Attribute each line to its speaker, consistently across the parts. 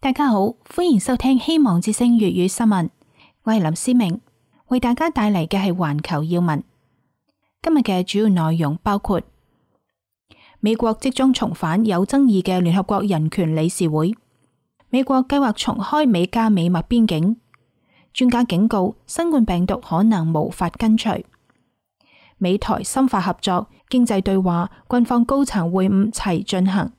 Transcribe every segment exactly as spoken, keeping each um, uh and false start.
Speaker 1: 大家好，歡迎收聽希望之聲粵語新聞，我係林思明，為大家帶嚟嘅係環球要聞。今日嘅主要內容包括美國即將重返有爭議嘅聯合國人權理事會，美國計劃重開美加美墨邊境，專家警告新冠病毒可能無法根除，美台深化合作、經濟對話、軍方高層會晤齊進行，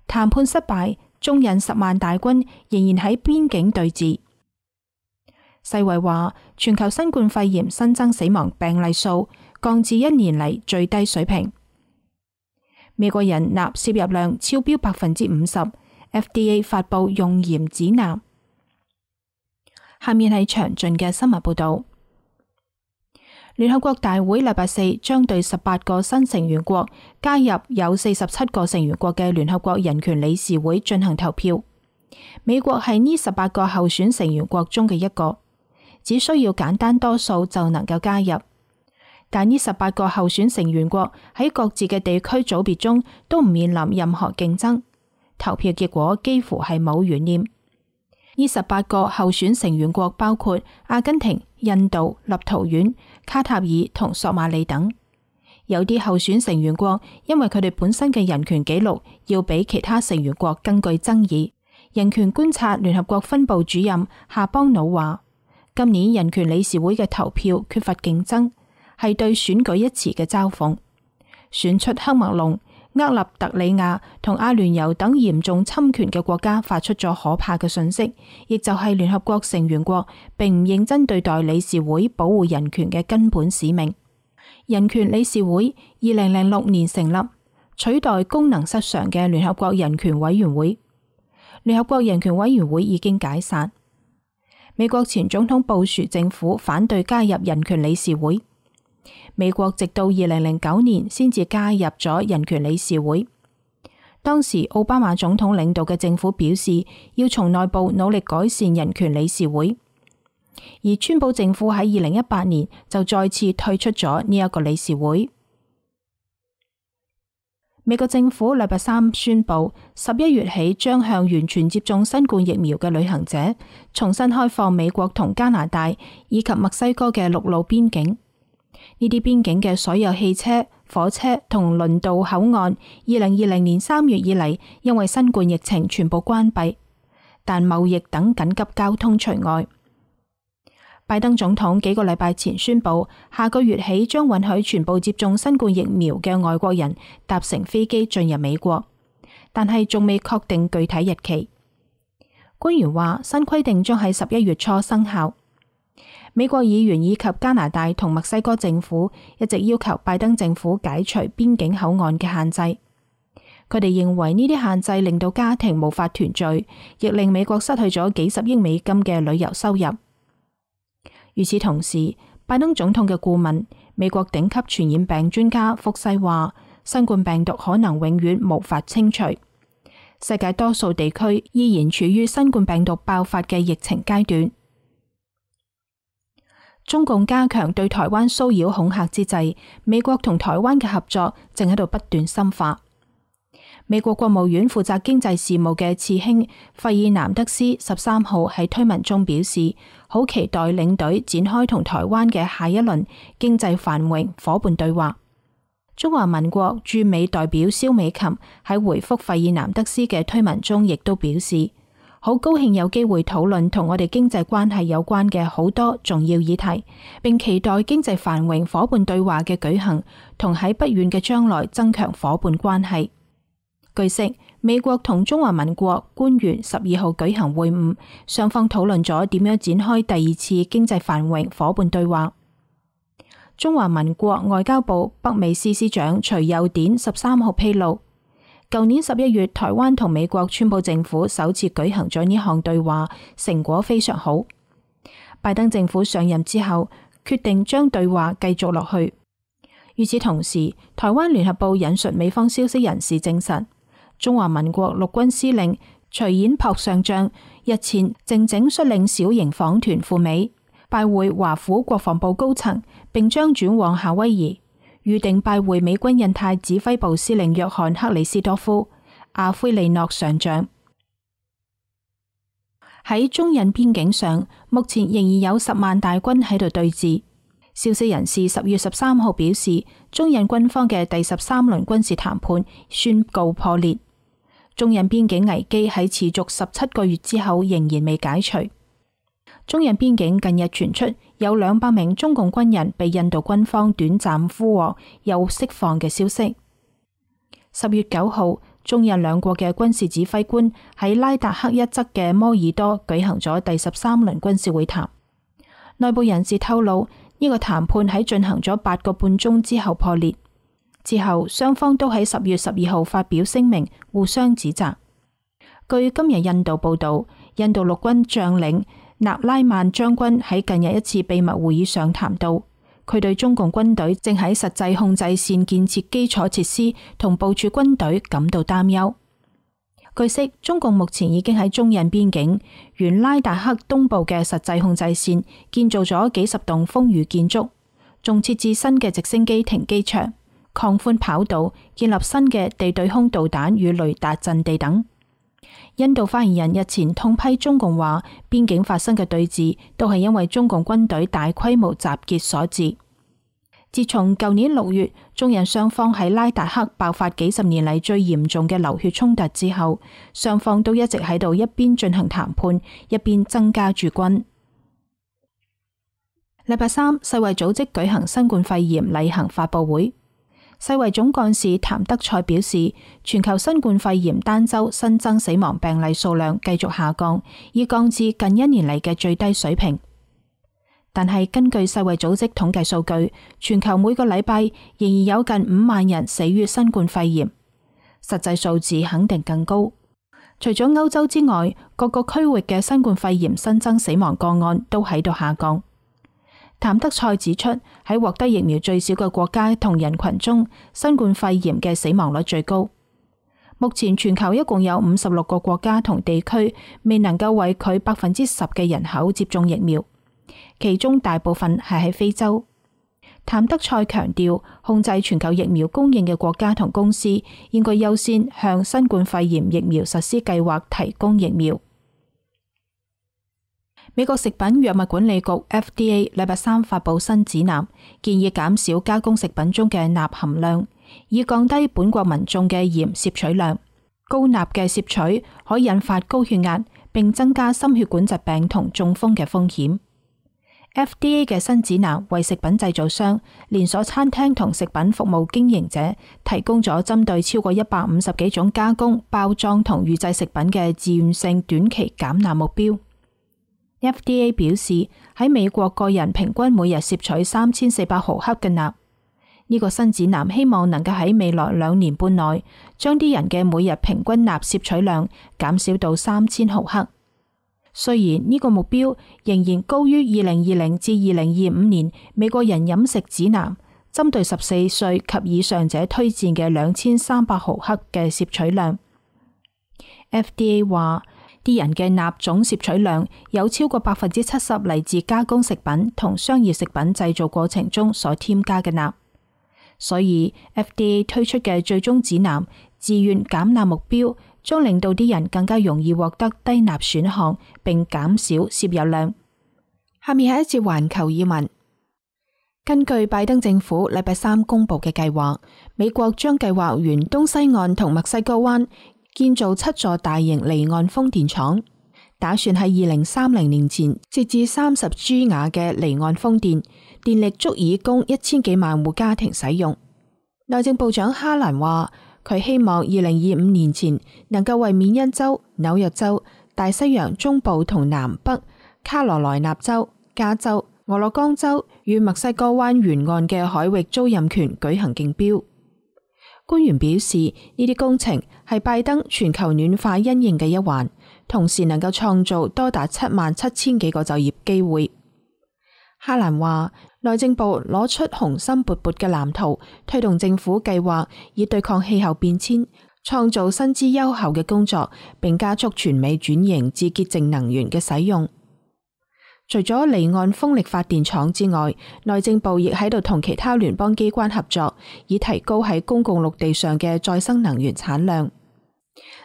Speaker 1: 談判失敗，中印十萬大軍仍然喺邊境對峙。世衛話，全球新冠肺炎新增死亡病例數降至一年嚟最低水平。美國人鈉攝入量超標百分之五十 ，F D A 發布用鹽指南。下面係詳盡嘅新聞報道。聯合國大會禮拜四將對十八個新成員國加入有四十七個成員國嘅聯合國人權理事會進行投票。美國係呢十八個候選成員國中嘅一個，只需要簡單多數就能夠加入。但呢十八個候選成員國喺各自嘅地區組別中都唔面臨任何競爭，投票結果幾乎係冇懸念。呢十八個候選成員國包括阿根廷、印度、立陶宛、卡塔爾同索馬里等。有啲候選成員國因為佢哋本身嘅人權紀錄要比其他成員國更具爭議。人權觀察聯合國分部主任夏邦努話，今年人權理事會嘅投票缺乏競爭，係對選舉一詞嘅嘲諷。選出喀麥隆、厄立特里亞同阿聯酋等嚴重侵權嘅國家發出咗可怕嘅訊息，亦就係聯合國成員國並唔認真對待理事會保護人權嘅根本使命。人權理事會二零零六年成立，取代功能失常嘅聯合國人權委員會。聯合國人權委員會已經解散。美國前總統布殊政府反對加入人權理事會。美國直到二零零九年先至加入咗人權理事會。當時奧巴馬總統領導嘅政府表示要從內部努力改善人權理事會，而川普政府喺二零一八年就再次退出咗呢一個理事會。美國政府禮拜三宣布，十一月起將向完全接種新冠疫苗嘅旅行者重新開放美國同加拿大以及墨西哥嘅陸路邊境。呢啲邊境嘅所有汽車、火車同輪渡口岸，二零二零年三月以嚟因為新冠疫情全部關閉，但貿易等緊急交通除外。拜登總統幾個禮拜前宣布，下個月起將允許全部接種新冠疫苗嘅外國人搭乘飛機進入美國，但係仲未確定具體日期。官員話，新規定將喺十一月初生效。美國議員以及加拿大同墨西哥政府一直要求拜登政府解除邊境口岸嘅限制。佢哋認為呢啲限制令到家庭無法團聚，亦令美國失去咗幾十億美金嘅旅遊收入。與此同時，拜登總統嘅顧問、美國頂級傳染病專家福西話，新冠病毒可能永遠無法清除。世界多數地區依然處於新冠病毒爆發嘅疫情階段。中共加強對台灣騷擾恐嚇之際，美國同台灣嘅合作正喺度不斷深化。美國國務院負責經濟事務嘅次卿費爾南德斯十三號喺推文中表示，好期待領隊展開同台灣嘅下一輪經濟繁榮夥伴對話。中華民國駐美代表蕭美琴喺回覆費爾南德斯嘅推文中，亦都表示，好高興有機會討論同我哋經濟關係有關嘅好多重要議題，並期待經濟繁榮夥伴對話嘅舉行，同喺不遠嘅將來增強夥伴關係。據悉，美國同中華民國官員十二號舉行會晤，雙方討論咗點樣展開第二次經濟繁榮夥伴對話。中華民國外交部北美司司長徐佑典十三號披露，舊年十一月，台灣同美國川普政府首次舉行咗呢項對話，成果非常好。拜登政府上任之後，決定將對話繼續落去。與此同時，台灣聯合報引述美方消息人士證實，中華民國陸軍司令徐衍璞上將日前靜靜率領小型訪團赴美，拜會華府國防部高層，並將轉往夏威夷。預定拜會美軍印太指揮部司令約翰克里斯多夫、阿奎利諾上將。喺中印邊境上，目前仍然有十萬大軍喺度對峙。消息人士十月十三號表示，中印軍方嘅第十三輪軍事談判宣告破裂。中印邊境危機喺持續十七個月之後仍然未解除。中印邊境近日傳出有兩百名中共軍人被印度軍方短暫俘獲又釋放嘅消息。十月九號，中印兩國嘅軍事指揮官喺拉達克一側嘅摩爾多舉行咗第十三輪軍事會談。內部人士透露，呢個談判喺進行咗八個半鐘之後破裂。之後雙方都喺十月十二號發表聲明，互相指責。據今日印度報道，印度陸軍將領納拉曼將軍喺近日一次秘密會議上談到，佢對中共軍隊正喺實際控制線建設基礎設施同部署軍隊感到擔憂。據悉，中共目前已經喺中印邊境沿拉達克東部嘅實際控制線建造咗幾十棟風雨建築，仲設置新嘅直升機停機場、擴寬跑道、建立新嘅地對空導彈與雷達陣地等。印度發言人日前痛批中共話，邊境發生嘅對峙都係因為中共軍隊大規模集結所致。自從舊年六月中印雙方喺拉達克爆發幾十年嚟最嚴重嘅流血衝突之後，雙方都一直喺度一邊進行談判，一邊增加駐軍。禮拜三，世衛組織舉行新冠肺炎例行發佈會。世衛總幹事譚德塞表示，全球新冠肺炎單周新增死亡病例數量繼續下降，已降至近一年嚟嘅最低水平。但係根據世衛組織統計數據，全球每個禮拜仍然有近五萬人死於新冠肺炎，實際數字肯定更高。除咗歐洲之外，各個區域嘅新冠肺炎新增死亡個案都喺度下降。譚德塞指出，喺獲得疫苗最少嘅國家同人群中，新冠肺炎嘅死亡率最高。目前全球一共有五十六個國家同地區未能夠為佢百分之十嘅人口接種疫苗，其中大部分係喺非洲。譚德塞強調，控制全球疫苗供應嘅國家同公司應該優先向新冠肺炎疫苗實施計劃提供疫苗。美國食品藥物管理局 F D A 禮拜三發佈新指南，建議減少加工食品中嘅鈉含量，以降低本國民眾嘅鹽攝取量。高鈉嘅攝取可引發高血壓，並增加心血管疾病同中風嘅風險。F D A 嘅新指南為食品製造商、連鎖餐廳同食品服務經營者提供咗針對超過一百五十幾種加工、包裝同預製食品嘅自願性短期減鈉目標。F D A 表示，喺美國個人平均每日攝取三千四百毫克嘅鈉。呢個新指南希望能夠喺未來兩年半內，將啲人嘅每日平均鈉攝取量減少到三千毫克。雖然呢個目標仍然高於二零二零至二零二五年美國人飲食指南針對十四歲及以上者推薦嘅兩千三百毫克嘅攝取量。F D A 話，啲人嘅鈉總攝取量有超過百分之七十嚟自加工食品同商業食品製造過程中所添加嘅鈉，所以 F D A 推出嘅最終指南自願減鈉目標，將令到啲人更加容易獲得低鈉選項，並減少攝入量。下面係一節環球要聞。根據拜登政府禮拜三公布嘅計劃，美國將計劃沿東西岸同墨西哥灣建造七座大型離岸風電廠，打算喺二零三零年前設置三十吉瓦嘅離岸風電，電力足以供一千幾萬戶家庭使用。內政部長哈蘭話，佢希望二零二五年前能夠為緬因州、紐約州、大西洋中部同南北、卡羅來納州、加州、俄勒岡州與墨西哥灣沿岸嘅海域租賃權舉行競標。官員表示，呢啲工程係拜登全球暖化因應嘅一環，同時能夠創造多達七萬七千幾個就業機會。哈蘭話，內政部攞出雄心勃勃嘅藍圖，推動政府計劃以對抗氣候變遷，創造薪資優厚嘅工作，並加速全美轉型至潔淨能源嘅使用。除咗離岸風力發電廠之外，內政部亦喺度同其他聯邦機關合作，以提高喺公共陸地上嘅再生能源產量。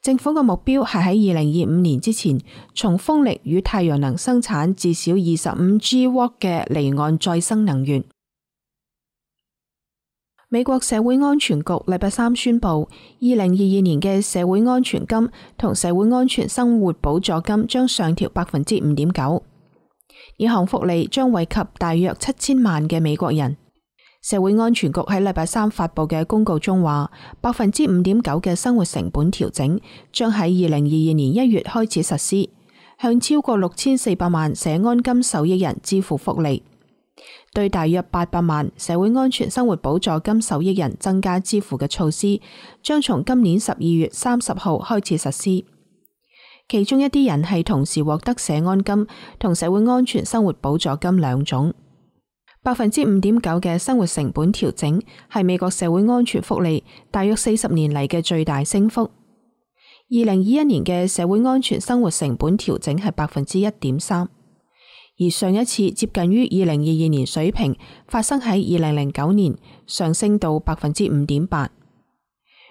Speaker 1: 政府嘅目標係喺二零二五年之前，從風力與太陽能生產至少二十五 G 瓦嘅離岸再生能源。美國社會安全局禮拜三宣布，二零二二年嘅社會安全金同社會安全生活補助金將上調百分之五點九，呢項福利將惠及大約七千萬嘅美國人。社會安全局喺禮拜三發佈嘅公告中話，百分之五點九嘅生活成本調整將喺二零二二年一月開始實施，向超過六千四百萬社安金受益人支付福利，對大約八百萬社會安全生活補助金受益人增加支付嘅措施，將從今年十二月三十號開始實施。其中一啲人係同時獲得社安金同社會安全生活補助金兩種。百分之五點九嘅生活成本調整係美國社會安全福利大約四十年嚟嘅最大升幅。二零二一年嘅社會安全生活成本調整係百分之一點三，而上一次接近於二零二二年水平發生喺二零零九年，上升到百分之五點八。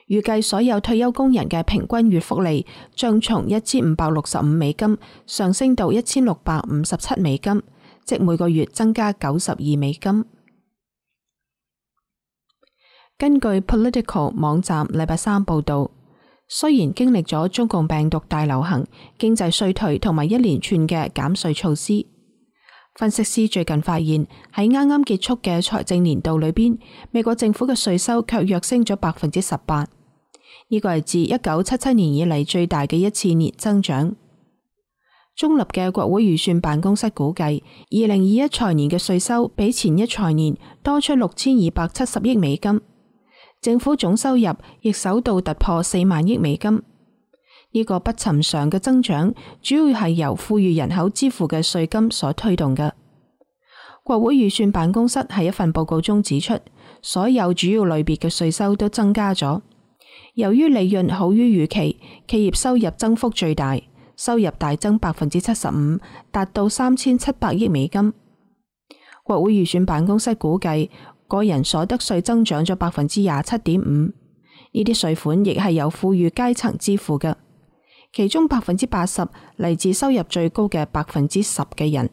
Speaker 1: 預計所有退休工人嘅平均月福利將從一千五百六十五美金上升到一千六百五十七美金。即每個月增加九十二美金。根據 Political 網站禮拜三報道，雖然經歷咗中共病毒大流行、經濟衰退同埋一連串嘅減稅措施，分析師最近發現喺啱啱結束嘅財政年度裏邊，美國政府嘅稅收卻躍升咗百分之十八，呢個係自一九七七年以嚟最大嘅一次年增長。中立嘅國會預算辦公室估計，二零二一財年嘅稅收比前一財年多出六千二百七十億美金，政府總收入亦首度突破四萬億美金。呢個不尋常嘅增長，主要係由富裕人口支付嘅稅金所推動嘅。國會預算辦公室喺一份報告中指出，所有主要類別嘅稅收都增加咗。由於利潤好於預期，企業收入增幅最大。收入大增百分之七十五，達到三千七百億美金。國會預算辦公室估計，個人所得稅增長咗百分之廿七點五，呢啲稅款亦係由富裕階層支付嘅，其中百分之八十嚟自收入最高嘅百分之十嘅人。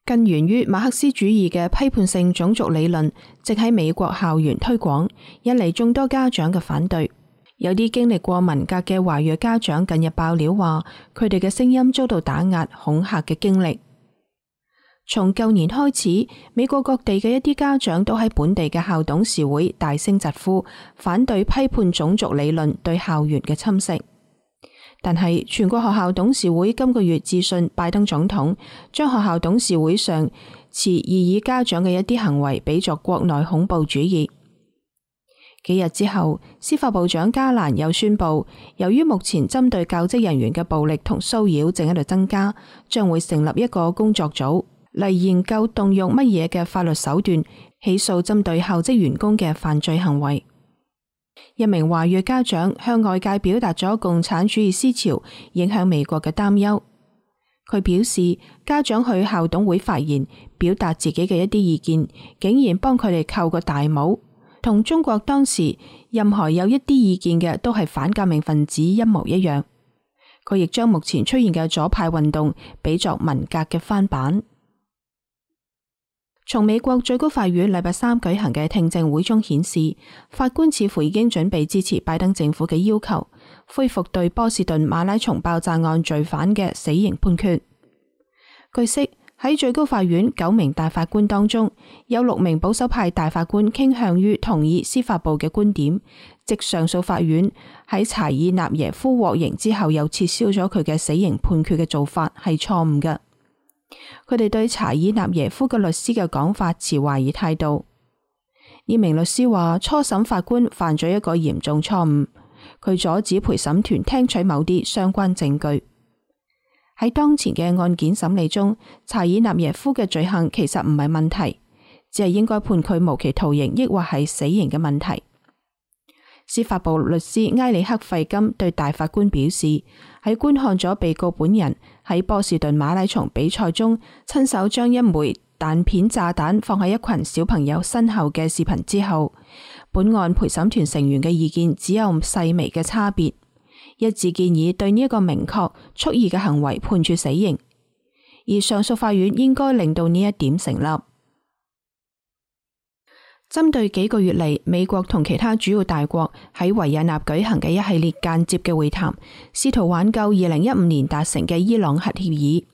Speaker 1: 根源於馬克思主義嘅批判性種族理論，正喺美國校園推廣，引嚟眾多家長嘅反對。有啲經歷過文革嘅華裔家長近日爆料話，佢哋嘅聲音遭到打壓、恐嚇嘅經歷。從舊年開始，美國各地嘅一啲家長都喺本地嘅校董事會大聲疾呼，反對批判種族理論對校園嘅侵蝕。但係全國學校董事會今個月致信拜登總統，將學校董事會上持異議家長嘅一啲行為比作國內恐怖主義。幾日之後，司法部長加蘭又宣布，由於目前針對教職人員嘅暴力同騷擾正喺度增加，將會成立一個工作組嚟研究動用乜嘢嘅法律手段起訴針對校職員工嘅犯罪行為。一名華裔家長向外界表達咗共產主義思潮影響美國嘅擔憂。佢表示，家長去校董會發言，表達自己嘅一啲意見，竟然幫佢哋扣個大帽。同中國當時任何有一啲意見嘅都係反革命分子一模一樣。佢亦將目前出現嘅左派運動比作文革嘅翻版。從美國最高法院禮拜三舉行嘅聽證會中顯示，法官似乎已經準備支持拜登政府嘅要求，恢復對波士頓馬拉松爆炸案罪犯嘅死刑判決。據悉，喺最高法院九名大法官當中，有六名保守派大法官傾向於同意司法部嘅觀點，即上訴法院喺查爾納耶夫獲刑之後又撤銷咗佢嘅死刑判決嘅做法係錯誤嘅。佢哋對查爾納耶夫嘅律師嘅講法持懷疑態度。呢名律師話，初審法官犯咗一個嚴重錯誤，佢阻止陪審團聽取某啲相關證據。喺當前嘅案件審理中，查爾納耶夫嘅罪行其實唔係問題，只係應該判佢無期徒刑，抑或係死刑嘅問題。司法部律師埃里克費金對大法官表示，喺觀看咗被告本人喺波士頓馬拉松比賽中親手將一枚彈片炸彈放喺一群小朋友身後嘅視頻之後，本案陪審團成員嘅意見只有細微嘅差別，一致建議對呢一個明確蓄意嘅行為判處死刑，而上訴法院應該令到呢一點成立。針對幾個月嚟美國同其他主要大國喺維也納舉行嘅一系列間接嘅會談，試圖挽救二零一五年達成嘅伊朗核協議。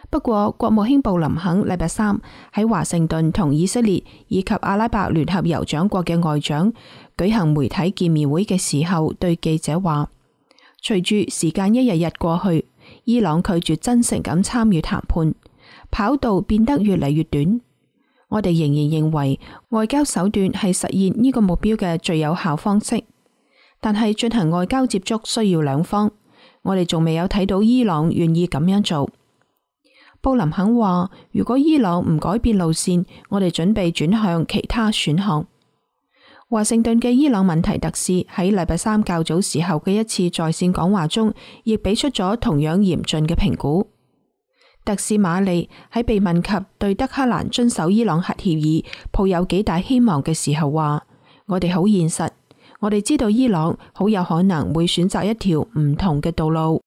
Speaker 1: 不過，國務卿布林肯禮拜三喺華盛頓同以色列以及阿拉伯聯合酋長國嘅外長舉行媒體見面會嘅時候，對記者話：隨住時間一日日過去，伊朗拒絕真誠咁參與談判，跑道變得越嚟越短。我哋仍然認為外交手段係實現呢個目標嘅最有效方式，但係進行外交接觸需要兩方，我哋仲未有睇到伊朗願意咁樣做。布林肯話：如果伊朗唔改變路線，我哋準備轉向其他選項。華盛頓嘅伊朗問題特使喺禮拜三較早時候嘅一次在線講話中，亦俾出咗同樣嚴峻嘅評估。特使馬利喺被問及對德黑蘭遵守伊朗核協議抱有幾大希望嘅時候話：我哋好現實，我哋知道伊朗好有可能會選擇一條唔同嘅道路。